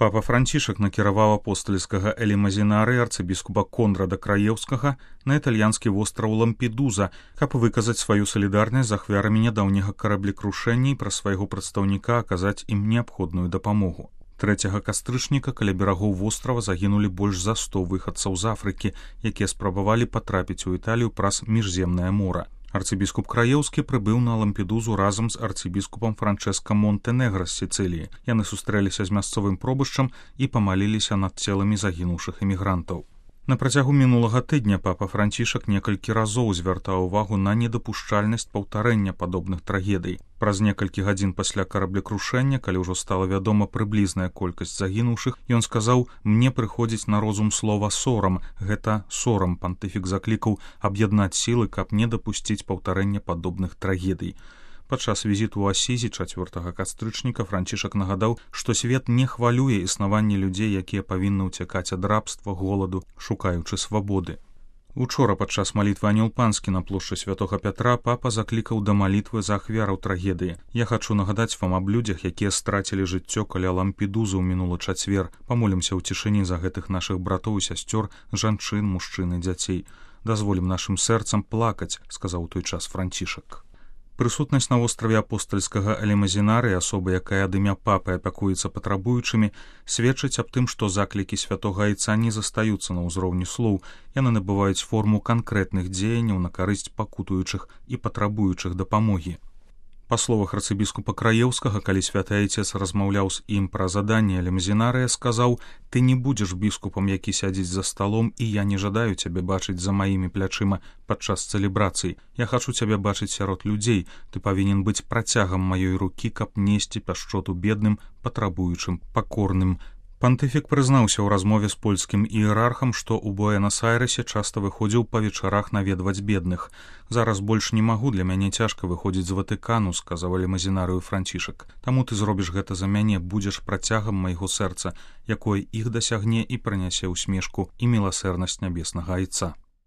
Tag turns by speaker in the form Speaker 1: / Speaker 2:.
Speaker 1: Папа Францішак накіраваў апостальскага элемазінары арцыбіскупа Конрада Краеўскага на італьянскі востраў Лампедуза, каб выказаць сваю салідарнасць з ахвярамі нядаўняга караблекрушэння і пра свайго прадстаўніка аказаць ім неабходную дапамогу. 3 кастрычніка каля берагоў вострава загінулі больш за 100 выхадцаў з Афрыкі, якія спрабавалі патрапіць у Італію праз міжземнае мора. Арцыбіскуп Краеўскі прыбыў на Лампедузу разам з арцыбіскупам Франчэска Монтэнегра з Сіцыліі. Яны сустрэліся з мясцовым пробышчам і памаліліся над целамі загінуўшых эмігрантаў. На працягу мінулага тыдня папа Францішак некалькі разоў звяртаў увагу на недапушчальнасць паўтарэння падобных трагедый. Праз некалькі гадзін пасля караблекрушэння, калі ўжо стала вядома прыблізная колькасць загінуўшых, ён сказаў: «Мне прыходзіць на розум слова сорам. Гэта сорам». Пантыфік заклікаў аб'яднаць сілы, каб не дапусціць паўтарэння падобных трагедый. Падчас візіту ў Асізі 4 кастрычніка Францішак нагадаў, што свет не хвалюе існаванне людзей, якія павінны ўцякаць ад рабства, голаду, шукаючы свабоды. Учора падчас малітвы Анёл Панскі на плошчы Святога Пятра папа заклікаў да малітвы за ахвяраў трагедыі. Я хачу нагадаць вам аб людзях, якія страцілі жыццё каля Лампедузы ў мінулы чацвер. Памолімся ў цішыні за гэтых нашых братоў і сясцёр, жанчын, мужчын і дзяцей. Дазволім нашым сэрцам плакаць, сказаў у той час Францішак. Прысутнасць на востраве апостальскага элемазінары, асоба, якая ад імя папы апякуецца патрабуючымі, сведчыць аб тым, што заклікі святога айца не застаюцца на ўзроўні слоў, яны набываюць форму канкрэтных дзеянняў на карысць пакутуючых і патрабуючых дапамогі. Па словах арцыбіскупа Краеўскага, калі святы айцец размаўляў з ім пра заданне элемазінарыя, сказаў: «Ты не будзеш біскупам, які сядзіць за сталом, і я не жадаю цябе бачыць за маімі плячыма падчас цэлебрацый. Я хачу цябе бачыць сярод людзей. Ты павінен быць працягам маёй рукі, каб несці пяшчоту бедным, патрабуючым, пакорным». Пантыфік прызнаўся ў размове з польскім іерархам, што ў Буэнас-Айрэсе часта выходзіў па вечарах наведваць бедных. «Зараз больш не магу, для мяне цяжка выходзіць з Ватыкану», сказаў элемазінарыю Францішак. «Таму ты зробіш гэта за мяне, будзеш працягам майго сэрца, якое іх дасягне і прынясе ўсмешку і міласэрнасць нябеснага айца».